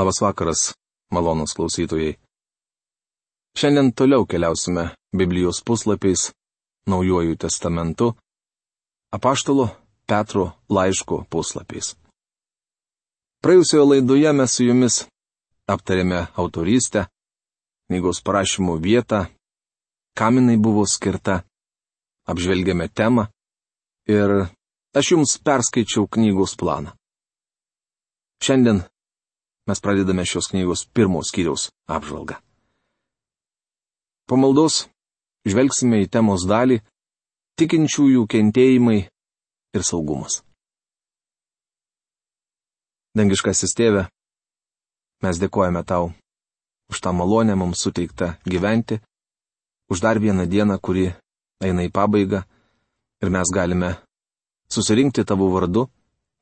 Labas vakaras, malonūs klausytojai. Šiandien toliau keliausime Biblijos puslapiais, Naujuoju testamentu, Apaštalo Petro laiško puslapiais. Praėjusioje laidoje mes su jumis aptarėme autorystę, knygos parašymo vietą, kam jinai buvo skirta, apžvelgėme temą ir aš jums perskaičiau knygos planą. Šiandien mes pradedame šios knygos pirmos skyriaus apžvalgą. Po maldos žvelgsime į temos dalį tikinčiųjų kentėjimai ir saugumas. Dangiškasis Tėve, mes dėkojame Tau už tą malonę mums suteiktą gyventi, už dar vieną dieną, kuri eina į pabaigą ir mes galime susirinkti Tavo vardu,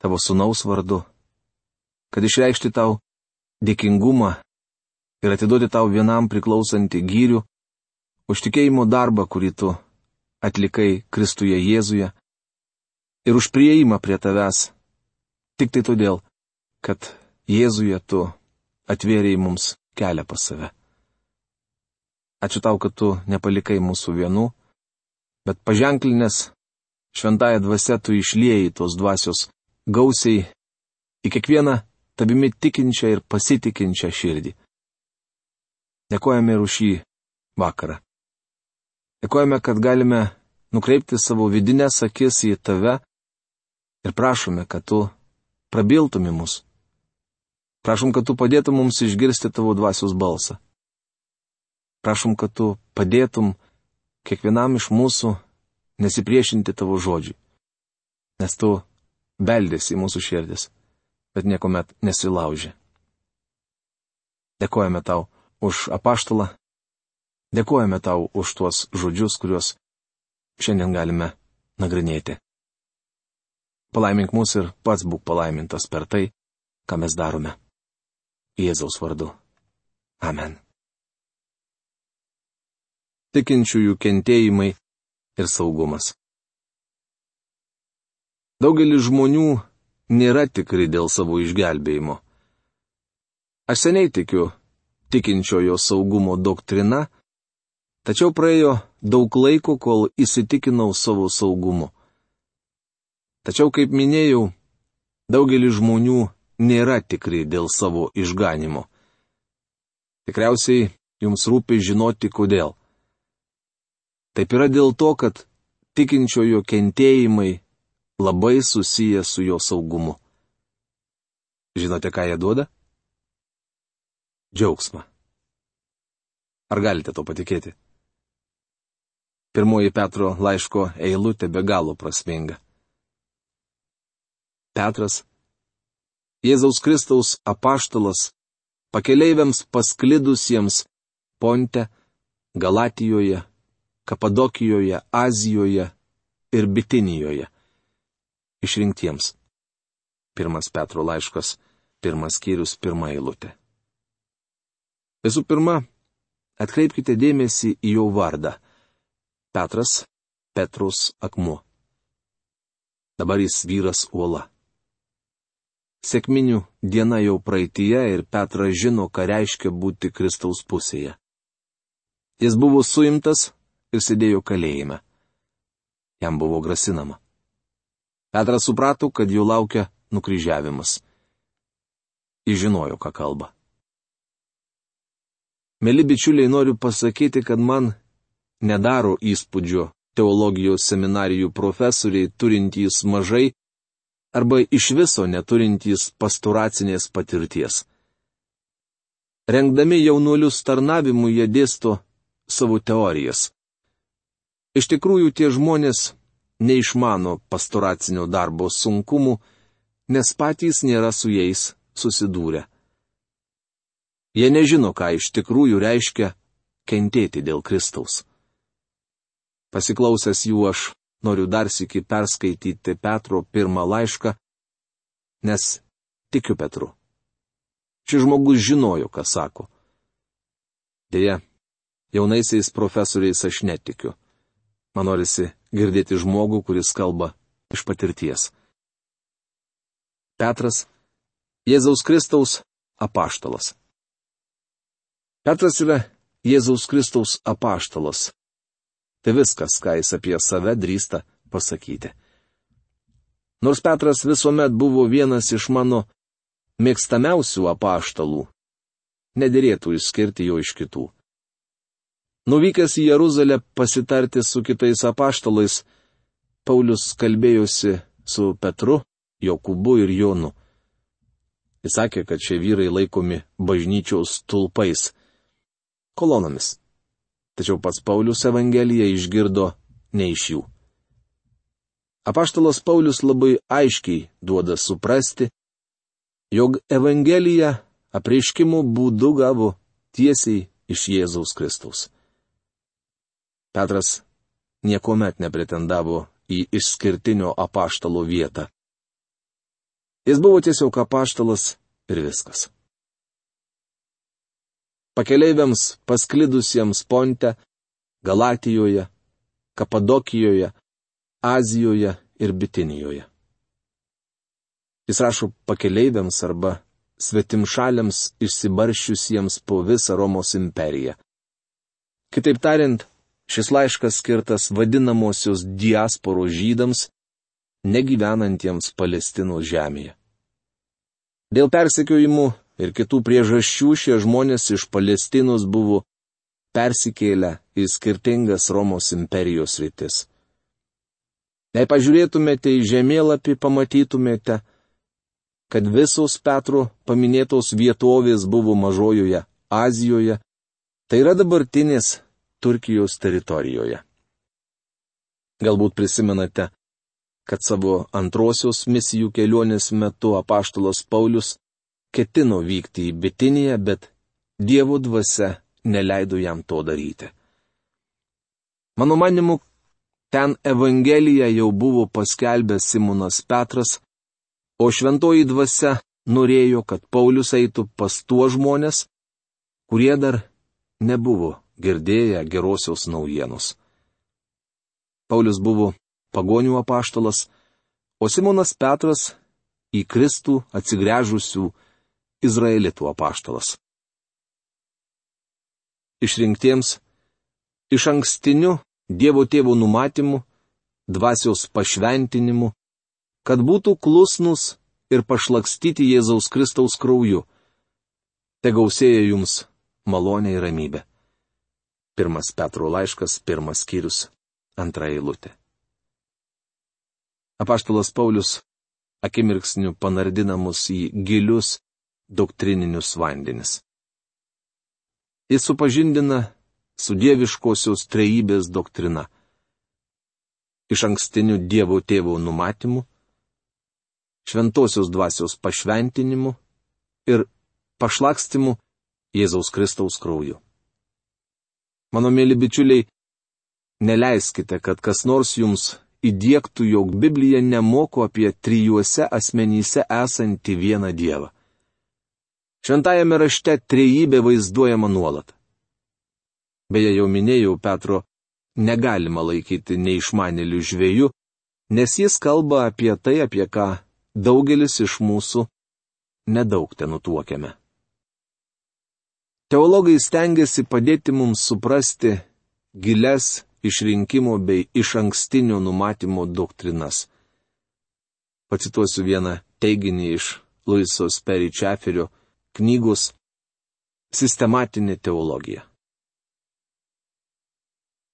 Tavo sūnaus vardu, kad išreikšti Tau dėkingumą ir atiduoti Tau vienam priklausantį gyrių už tikėjimo darbą, kurį Tu atlikai Kristuje Jėzuje, ir už priėjimą prie Tavęs, tik tai todėl, kad Jėzuje Tu atvėrėjai mums kelią pas save. Ačiū Tau, kad Tu nepalikai mūsų vienų, bet paženklinęs šventąją dvasią Tu išliejai tos dvasios gausiai į kiekvieną Tavimi tikinčią ir pasitikinčią širdį. Dėkojame ir už šį vakarą. Dėkojame, kad galime nukreipti savo vidinės akis į Tave ir prašome, kad Tu prabiltumi mus. Prašom, kad Tu padėtum mums išgirsti Tavo dvasios balsą. Prašom, kad Tu padėtum kiekvienam iš mūsų nesipriešinti Tavo žodžiui, nes Tu beldėsi į mūsų širdis, bet niekuomet nesilaužė. Dėkojame Tau už apaštalą, dėkojame Tau už tuos žodžius, kuriuos šiandien galime nagrinėti. Palaimink mus ir pats būk palaimintas per tai, ką mes darome. Jėzaus vardu. Amen. Tikinčiųjų kentėjimai ir saugumas. Daugelis žmonių nėra tikri dėl savo išgelbėjimo. Aš seniai tikiu tikinčiojo saugumo doktrina, tačiau praėjo daug laiko, kol įsitikinau savo saugumu. Tačiau, kaip minėjau, daugelis žmonių nėra tikri dėl savo išganimo. Tikriausiai jums rūpi žinoti, kodėl. Taip yra dėl to, kad tikinčiojo kentėjimai labai susiję su jo saugumu. Žinote, ką jie duoda? Džiaugsmą. Ar galite to patikėti? Pirmoji Petro laiško eilutė be galo prasminga. Petras, Jėzaus Kristaus apaštalas, pakeleiviams pasklidusiems Ponte, Galatijoje, Kapadokijoje, Azijoje ir Bitinijoje. Išrinktiems. Pirmas Petro laiškas, 1 skyrius, 1 eilutė. Visų pirma, atkreipkite dėmesį į jo vardą. Petras, Petrus akmuo. Dabar jis vyras uola. Sekminių diena jau praeityje ir Petras žino, ką reiškia būti Kristaus pusėje. Jis buvo suimtas ir sėdėjo kalėjime. Jam buvo grasinama. Petras suprato, kad jo laukia nukryžiavimas. Jis žinojo, ką kalba. Mėly bičiuliai, noriu pasakyti, kad man nedaro įspūdžio teologijos seminarijų profesoriai turintys mažai arba iš viso neturintys pastoracinės patirties. Rengdami jaunuolius tarnavimui jie dėsto savo teorijas. Iš tikrųjų, tie žmonės neišmano pastoracinio darbo sunkumų, nes patys nėra su jais susidūrę. Jie nežino, ką iš tikrųjų reiškia kentėti dėl Kristaus. Pasiklausęs jų aš noriu dar sykį perskaityti Petro pirmą laišką, nes tikiu Petru. Šis žmogus žinojo, ką sako. Deja, jaunaisiais profesoriais aš netikiu. Man norisi girdėti žmogų, kuris kalba iš patirties. Petras, Jėzaus Kristaus apaštalas. Petras yra Jėzaus Kristaus apaštalas. Tai viskas, ką jis apie save drįsta pasakyti. Nors Petras visuomet buvo vienas iš mano mėgstamiausių apaštalų, nederėtų išskirti jo iš kitų. Nuvykęs į Jeruzalę pasitarti su kitais apaštalais, Paulius kalbėjosi su Petru, Jokūbu ir Jonu. Jis sakė, kad šie vyrai laikomi bažnyčios stulpais, kolonomis. Tačiau pats Paulius Evangeliją išgirdo ne iš jų. Apaštalas Paulius labai aiškiai duoda suprasti, jog Evangeliją apreiškimo būdu gavo tiesiai iš Jėzaus Kristaus. Petras niekuomet nepretendavo į išskirtinio apaštalo vietą. Jis buvo tiesiog apaštalas ir viskas. Pakeleiviams pasklidusiems Ponte, Galatijoje, Kapadokijoje, Azijoje ir Bitinijoje. Jis rašo pakeleiviams arba svetimšaliams išsibarščiusiems po visą Romos imperiją. Kitaip tariant, šis laiškas skirtas vadinamosios diasporos žydams, negyvenantiems Palestinos žemėje. Dėl persekiojimų ir kitų priežasčių šie žmonės iš Palestinos buvo persikėlę į skirtingas Romos imperijos rytis. Jei pažiūrėtumėte į žemėlapį, pamatytumėte, kad visos Petro paminėtos vietovės buvo Mažojoje Azijoje, tai yra dabartinės Turkijos teritorijoje. Galbūt prisimenate, kad savo antrosios misijų kelionės metu apaštalas Paulius ketino vykti į Bitiniją, bet Dievo dvasia neleido jam to daryti. Mano manimu, ten Evangeliją jau buvo paskelbęs Simonas Petras, o šventoji dvasia norėjo, kad Paulius eitų pas tuos žmonės, kurie dar nebuvo girdėję gerosios naujienos. Paulius buvo pagonių apaštalas, o Simonas Petras į Kristų atsigręžusių izraelitų apaštalas. Išrinktiems, iš ankstiniu Dievo Tėvo numatymu, dvasios pašventinimu, kad būtų klusnus ir pašlakstyti Jėzaus Kristaus krauju. Te gausėja jums malonė ir ramybė. 1 Petro laiškas, 1 skyrius, 2 eilutė. Apaštalas Paulius akimirksniu panardina mus į gilius doktrininius vandenis. Jis supažindina su dieviškosios trejybės doktrina. Iš ankstiniu Dievo Tėvo numatymu, šventosios dvasios pašventinimu ir pašlakstimu Jėzaus Kristaus krauju. Mano mėly bičiuliai, neleiskite, kad kas nors jums įdiegtų, jog Biblija nemoko apie trijuose asmenyse esantį vieną Dievą. Šventajame rašte trejybė vaizduojama nuolat. Beje, jau minėjau, Petro negalima laikyti neišmanėlių žvejų, nes jis kalba apie tai, apie ką daugelis iš mūsų nedaug tenutuokiame. Teologai stengiasi padėti mums suprasti giles išrinkimo bei išankstinio numatymo doktrinas. Pacituosiu vieną teiginį iš Luiso Sperry Chaferio knygos Sistematinė teologija.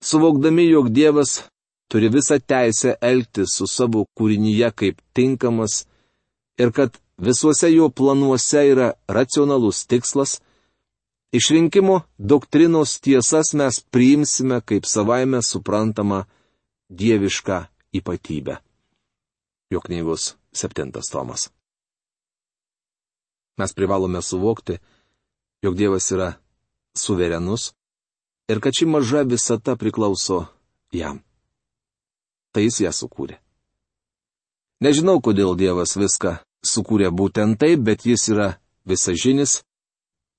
Suvokdami, jog Dievas turi visą teisę elgtis su savo kūrinyje kaip tinkamas ir kad visuose jo planuose yra racionalus tikslas, išrinkimo doktrinos tiesas mes priimsime kaip savaime suprantamą dievišką ypatybę. Jo knygos 7 tomas. Mes privalome suvokti, jog Dievas yra suverenus ir kad ši maža visata priklauso jam. Tai jis ją sukūrė. Nežinau, kodėl Dievas viską sukūrė būtent taip, bet jis yra visažinis,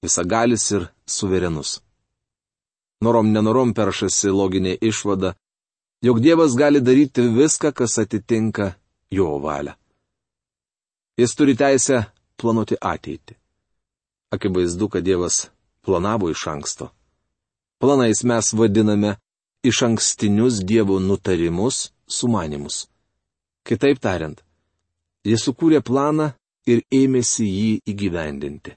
visagalis ir suverenus. Norom nenorom peršasi loginė išvada, jog Dievas gali daryti viską, kas atitinka jo valią. Jis turi teisę planuoti ateitį. Akivaizdu, kad Dievas planavo iš anksto. Planais mes vadiname iš ankstinius Dievo nutarimus, sumanimus. Kitaip tariant, Jis sukūrė planą ir ėmėsi jį įgyvendinti.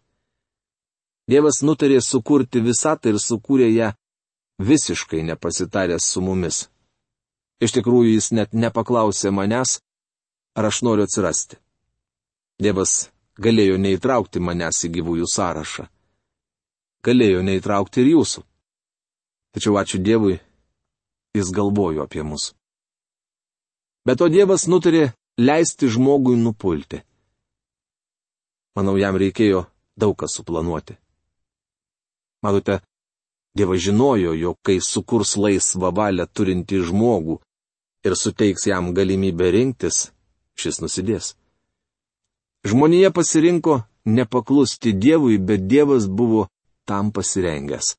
Dievas nutarė sukurti visatą ir sukūrė ją visiškai nepasitaręs su mumis. Iš tikrųjų, jis net nepaklausė manęs, ar aš noriu atsirasti. Dievas galėjo neįtraukti manęs į gyvųjų sąrašą. Galėjo neįtraukti ir jūsų. Tačiau ačiū Dievui, jis galvojo apie mus. Bet to Dievas nutarė leisti žmogui nupulti. Manau, jam reikėjo daug ką suplanuoti. Matote, Dievas žinojo, jog kai sukurs laisvą valią turinti žmogų ir suteiks jam galimybę rinktis, šis nusidės. Žmonija pasirinko nepaklusti Dievui, bet Dievas buvo tam pasirengęs.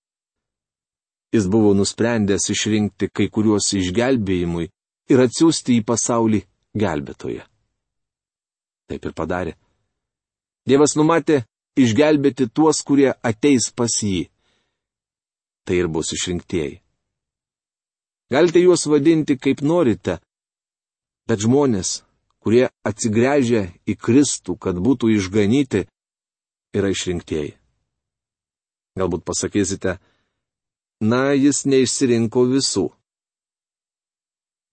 Jis buvo nusprendęs išrinkti kai kuriuos išgelbėjimui ir atsiųsti į pasaulį gelbėtoją. Taip ir padarė. Dievas numatė išgelbėti tuos, kurie ateis pas jį. Tai ir bus išrinktieji. Galite juos vadinti kaip norite, bet žmonės, kurie atsigręžia į Kristų, kad būtų išganyti, yra išrinktieji. Galbūt pasakysite, na, jis neišsirinko visų.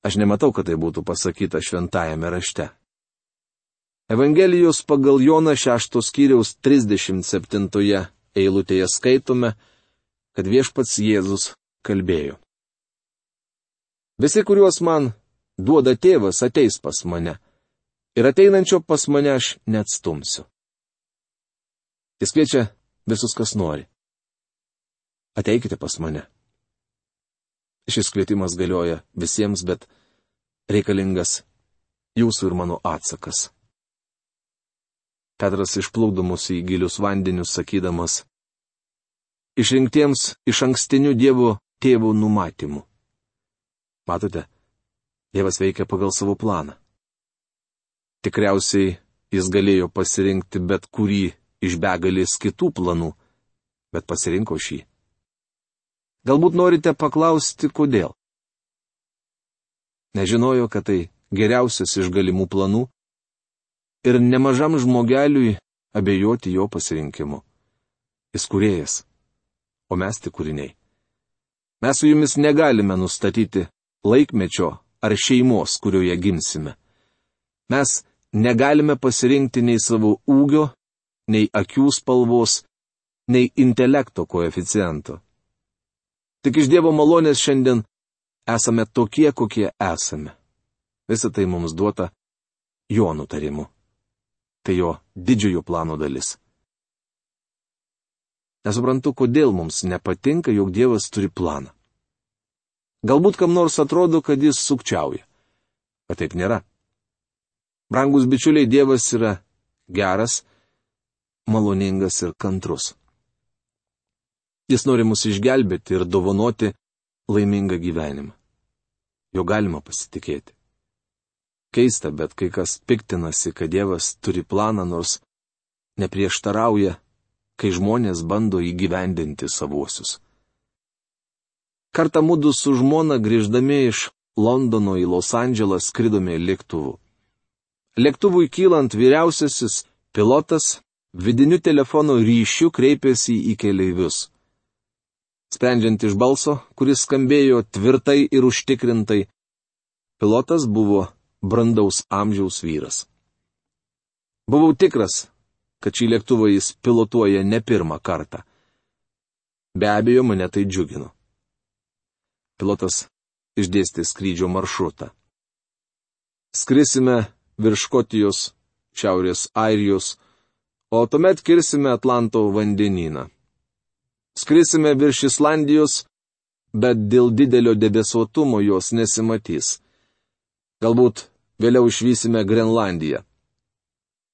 Aš nematau, kad tai būtų pasakyta šventajame rašte. Evangelijos pagal Joną 6 skyriaus 37 eilutėje skaitome, kad viešpats Jėzus kalbėjo. Visi, kuriuos man duoda tėvas, ateis pas mane, ir ateinančio pas mane aš neatstumsiu. Jis kviečia visus, kas nori. Ateikite pas mane. Šis kvietimas galioja visiems, bet reikalingas jūsų ir mano atsakas. Petras išplukdo mus į gilius vandenius, sakydamas, išrinktiems iš ankstinių Dievo tėvų numatymų. Matote, Dievas veikia pagal savo planą. Tikriausiai jis galėjo pasirinkti bet kurį iš begalės kitų planų, bet pasirinko šį. Galbūt norite paklausti, kodėl. Nežinojo, kad tai geriausias iš galimų planų ir nemažam žmogeliui abejoti jo pasirinkimu. Jis kūrėjas, o mes tik kūriniai. Mes su jumis negalime nustatyti laikmečio ar šeimos, kurioje gimsime. Mes negalime pasirinkti nei savo ūgio, nei akių spalvos, nei intelekto koeficiento. Tik iš Dievo malonės šiandien esame tokie, kokie esame. Visa tai mums duota jo nutarimu. Tai jo didžiojo plano dalis. Nesuprantu, kodėl mums nepatinka, jog Dievas turi planą. Galbūt kam nors atrodo, kad jis sukčiauja. Bet taip nėra. Brangus bičiuliai, Dievas yra geras, maloningas ir kantrus. Jis nori mus išgelbėti ir dovanoti laimingą gyvenimą. Jo galima pasitikėti. Keista, bet kai kas piktinasi, kad Dievas turi planą, nors neprieštarauja, kai žmonės bando įgyvendinti savuosius. Kartą mudu su žmona grįždami iš Londono į Los Andželą skridome lėktuvu. Lėktuvui kylant vyriausiasis pilotas vidiniu telefono ryšiu kreipėsi į keleivius. Sprendžiant iš balso, kuris skambėjo tvirtai ir užtikrintai, pilotas buvo brandaus amžiaus vyras. Buvau tikras, kad šį lėktuvą jis pilotuoja ne pirmą kartą. Be abejo, mane tai džiugino. Pilotas išdėstė skrydžio maršrutą. Skrisime virš Škotijos, Šiaurės Airijos, o tuomet kirsime Atlanto vandenyną. Skrisime virš Islandijos, bet dėl didelio debesuotumo jos nesimatys. Galbūt vėliau išvysime Grenlandiją.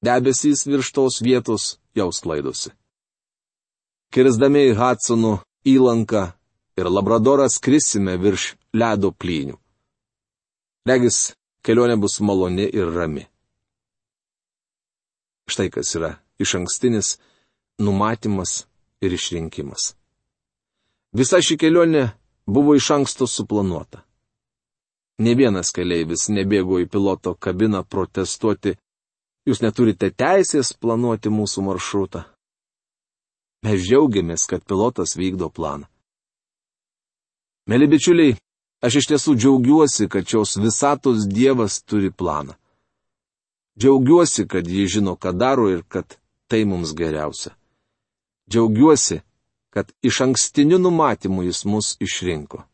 Debesys virš tos vietos jau sklaidosi. Kirsdami į Hudsono įlanką ir Labradorą skrisime virš ledo plynių. Regis, kelionė bus maloni ir rami. Štai kas yra išankstinis numatymas ir išrinkimas. Visa ši kelionė buvo iš anksto suplanuota. Ne vienas keleivis nebėgo į piloto kabiną protestuoti, jūs neturite teisės planuoti mūsų maršrutą. Mes džiaugiamės, kad pilotas vykdo planą. Mėly bičiuliai, aš iš tiesų džiaugiuosi, kad šios visatos Dievas turi planą. Džiaugiuosi, kad jis žino, ką daro ir kad tai mums geriausia. Džiaugiuosi, kad iš ankstinių numatymų jis mus išrinko.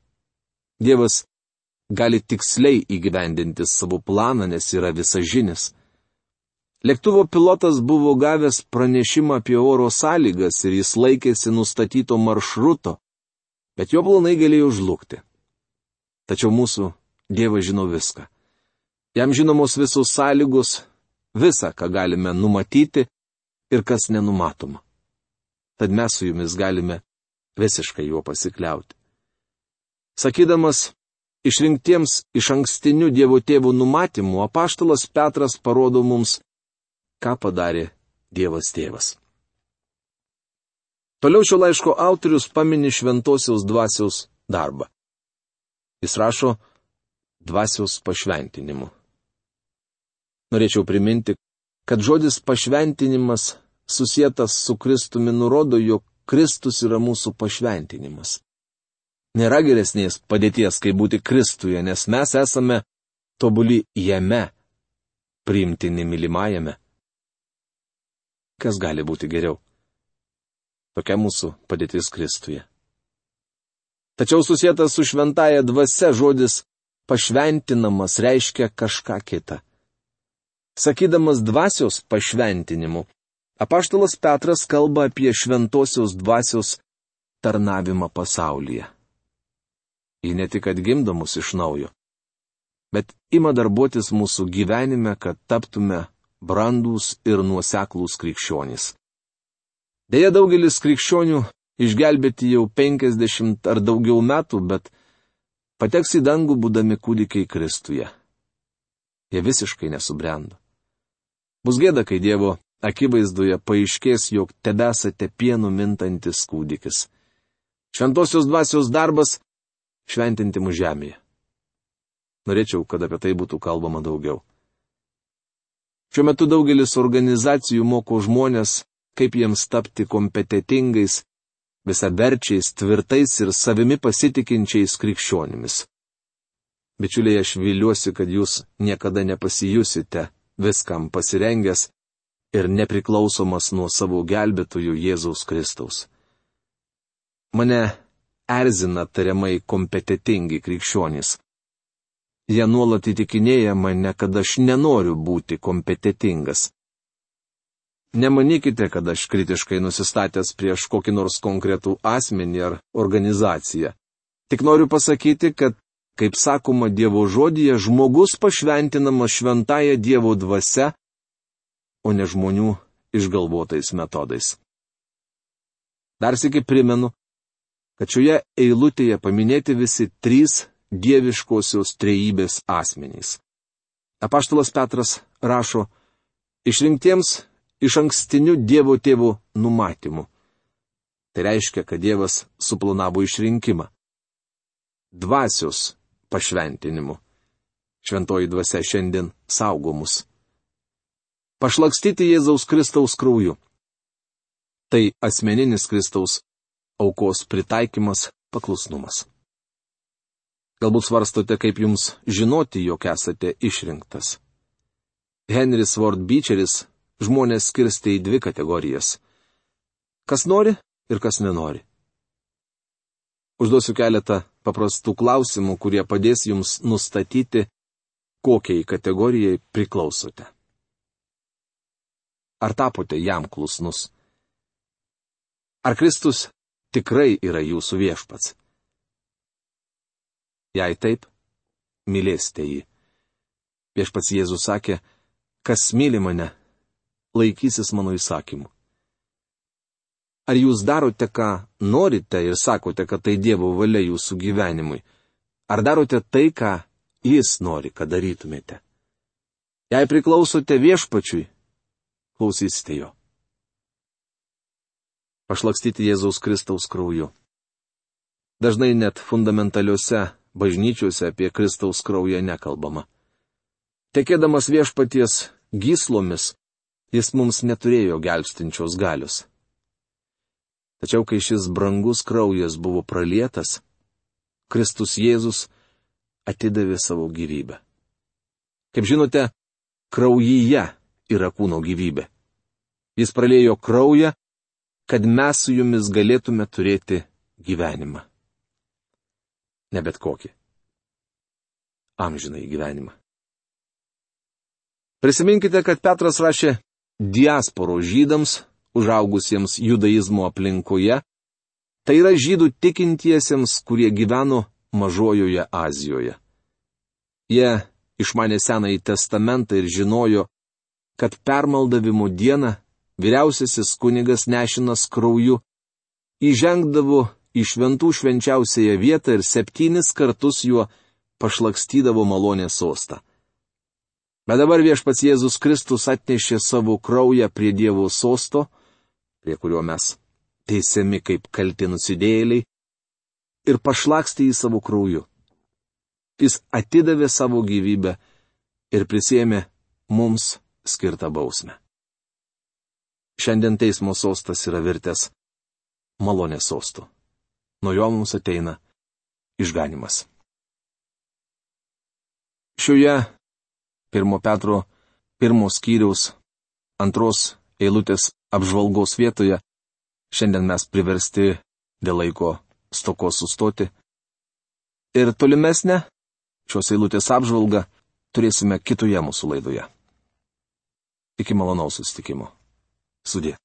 Dievas gali tiksliai įgyvendinti savo planą, nes yra visažinis. Lėktuvo pilotas buvo gavęs pranešimą apie oro sąlygas ir jis laikėsi nustatyto maršruto, bet jo planai galėjo žlugti. Tačiau mūsų Dievas žino viską. Jam žinomos visos sąlygos, visa, ką galime numatyti ir kas nenumatoma. Tad mes su jumis galime visiškai juo pasikliauti. Sakydamas, išrinktiems iš ankstinių Dievo tėvų numatymų, apaštalas Petras parodo mums, ką padarė Dievas tėvas. Toliau šio laiško autorius pamini šventosios dvasios darbą. Jis rašo dvasios pašventinimu. Norėčiau priminti, kad žodis pašventinimas susietas su Kristumi nurodo, jog Kristus yra mūsų pašventinimas. Nėra geresnės padėties, kaip būti Kristuje, nes mes esame tobuli jame, priimtini mylimajame. Kas gali būti geriau? Tokia mūsų padėtis Kristuje. Tačiau susietas su šventaja dvasia žodis pašventinamas reiškia kažką kitą. Sakydamas dvasios pašventinimu, apaštalas Petras kalba apie šventosios dvasios tarnavimą pasaulyje. Ji ne tik atgimdo mus iš naujo, bet ima darbuotis mūsų gyvenime, kad taptume brandūs ir nuoseklūs krikščionys. Deja, daugelis krikščionių išgelbėti jau 50 ar daugiau metų, bet pateks į dangų būdami kūdikiai Kristuje. Jie visiškai nesubrendo. Bus gėda, kai Dievo akivaizdoje paaiškės, jog tebesate pienu mintantis kūdikis. Šventosios dvasios darbas - šventinti mus žemėje. Norėčiau, kad apie tai būtų kalbama daugiau. Šiuo metu daugelis organizacijų moko žmonės, kaip jiems tapti kompetentingais, visaverčiais, tvirtais ir savimi pasitikinčiais krikščionimis. Bičiuliai, aš viliuosi, kad jūs niekada nepasijusite viskam pasirengęs ir nepriklausomas nuo savo gelbėtojų Jėzaus Kristaus. Mane erzina tariamai kompetentingi krikščionys. Jie nuolat įtikinėja mane, kad aš nenoriu būti kompetentingas. Nemanykite, kad aš kritiškai nusistatęs prieš kokį nors konkretų asmenį ar organizaciją. Tik noriu pasakyti, kad, kaip sakoma Dievo žodyje, žmogus pašventinamas šventąja Dievo dvasia, o ne žmonių išgalvotais metodais. Dar sykį primenu, kad šioje eilutėje paminėti visi 3 dieviškosios trejybės asmenys. Apaštalas Petras rašo, išrinktiems iš ankstinių Dievo tėvų numatymų. Tai reiškia, kad Dievas suplanavo išrinkimą. Dvasios pašventinimu. Šventoji dvasia šiandien saugo mus. Pašlakstyti Jėzaus Kristaus krauju. Tai asmeninis Kristaus aukos pritaikymas, paklusnumas. Galbūt svarstote, kaip jums žinoti, jog esate išrinktas. Henris Ward Beecheris žmonės skirstė į 2 kategorijas. Kas nori ir kas nenori. Užduosiu keletą paprastų klausimų, kurie padės jums nustatyti, kokiai kategorijai priklausote. Ar tapote jam klusnus? Ar Kristus tikrai yra jūsų viešpats? Jei taip, mylėsite jį. Viešpats Jėzus sakė, kas myli mane, laikysis mano įsakymų. Ar jūs darote, ką norite ir sakote, kad tai Dievo valia jūsų gyvenimui? Ar darote tai, ką Jis nori, kad darytumėte? Jei priklausote viešpačiui, klausysite jo. pašlakstyti Jėzaus Kristaus krauju. Dažnai net fundamentaliuose bažnyčiuose apie Kristaus kraują nekalbama. Tekėdamas viešpaties gyslomis, jis mums neturėjo gelbstinčios galios. Tačiau kai šis brangus kraujas buvo pralietas, Kristus Jėzus atidavė savo gyvybę. Kaip žinote, kraujyje yra kūno gyvybė. Jis praliejo kraują, kad mes su jumis galėtume turėti gyvenimą. Ne bet kokį. Amžinai gyvenimą. Prisiminkite, kad Petras rašė diasporos žydams, užaugusiems judaizmo aplinkoje, tai yra žydų tikintiesiems, kurie gyveno Mažojoje Azijoje. Jie išmanė Senąjį testamentą ir žinojo, kad permaldavimo dieną vyriausiasis kunigas nešinas krauju įžengdavo į šventų švenčiausiąją vietą ir 7 kartus juo pašlakstydavo malonės sostą. Bet dabar viešpats Jėzus Kristus atnešė savo kraują prie Dievo sosto, prie kurio mes teisiami kaip kalti nusidėjėliai, ir pašlakstė jį savo krauju. Jis atidavė savo gyvybę ir prisėmė mums skirtą bausmę. Šiandien teismo sostas yra virtęs malonės sostu. Nuo jo mums ateina išganimas. Šioje 1 Petro 1 skyriaus 2 eilutės apžvalgos vietoje šiandien mes priversti dėl laiko stokos sustoti. Ir tolimesnę šios eilutės apžvalgą turėsime kitoje mūsų laidoje. Iki malonaus susitikimo. Sudie.